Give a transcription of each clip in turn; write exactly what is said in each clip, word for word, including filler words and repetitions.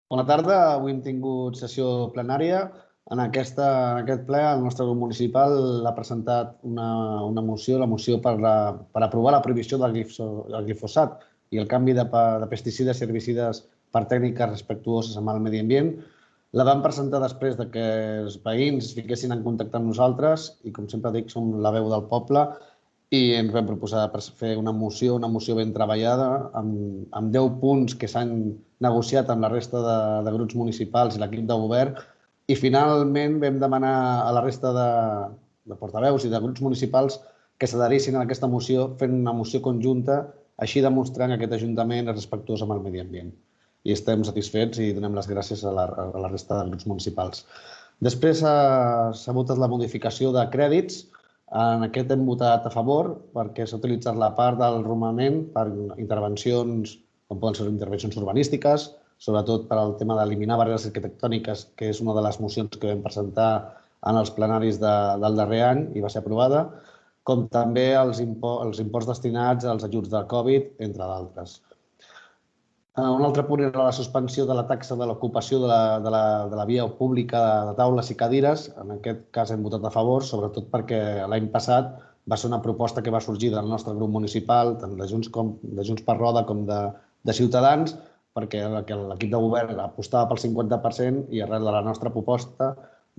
Bona tarda. Avui hem tingut sessió plenària. En, aquesta, en aquest ple, el nostre grup municipal ha presentat una, una moció, la moció per, la, per aprovar la prohibició del, glifo, del glifosat i el canvi de, de pesticides i herbicides per tècniques respectuoses amb el medi ambient. La vam presentar després de que els veïns es fiquessin en contacte amb nosaltres i, com sempre dic, som la veu del poble i ens vam proposar fer una moció, una moció ben treballada, amb, amb deu punts que s'han negociat amb la resta de, de grups municipals i l'equip de govern, i finalment vam demanar a la resta de, de portaveus i de grups municipals que s'adherissin a aquesta moció fent una moció conjunta, així demostrant que aquest Ajuntament és respectuós amb el medi ambient. I estem satisfets i donem les gràcies a la, a la resta de grups municipals. Després s'ha votat la modificació de crèdits. En aquest hem votat a favor perquè s'ha utilitzat la part del romandent per intervencions, com poden ser intervencions urbanístiques, sobretot per al tema d'eliminar barreres arquitectòniques, que és una de les mocions que vam presentar en els plenaris de, del darrer any i va ser aprovada, com també els, impo els imports destinats als ajuts de Covid, entre d'altres. Un altre punt era la suspensió de la taxa de l'ocupació de, la, de, la, de la via pública de taules i cadires. En aquest cas hem votat a favor, sobretot perquè l'any passat va ser una proposta que va sorgir del nostre grup municipal, tant de Junts, com, de Junts per Roda com de, de Ciutadans, perquè l'equip de govern apostava pel cinquanta per cent i arrel de la nostra proposta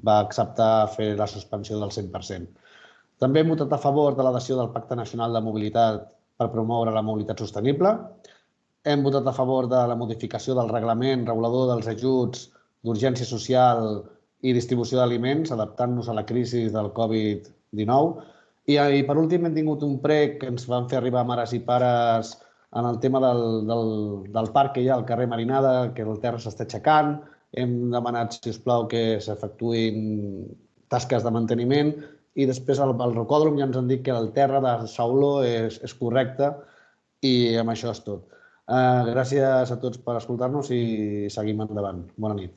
va acceptar fer la suspensió del cent per cent. També hem votat a favor de l'adhesió del Pacte Nacional de Mobilitat per promoure la mobilitat sostenible. Hem votat a favor de la modificació del reglament regulador dels ajuts d'urgència social i distribució d'aliments, adaptant-nos a la crisi del Covid dinou. I, I per últim hem tingut un prec que ens van fer arribar mares i pares en el tema del, del, del parc que hi ha al carrer Marinada, que el terra s'està aixecant. Hem demanat, si us plau, que s'efectuïn tasques de manteniment i després al, al rocòdrom ja ens han dit que el terra de Sauló és, és correcte i amb això és tot. Uh, gràcies a tots per escoltar-nos i seguim endavant. Bona nit.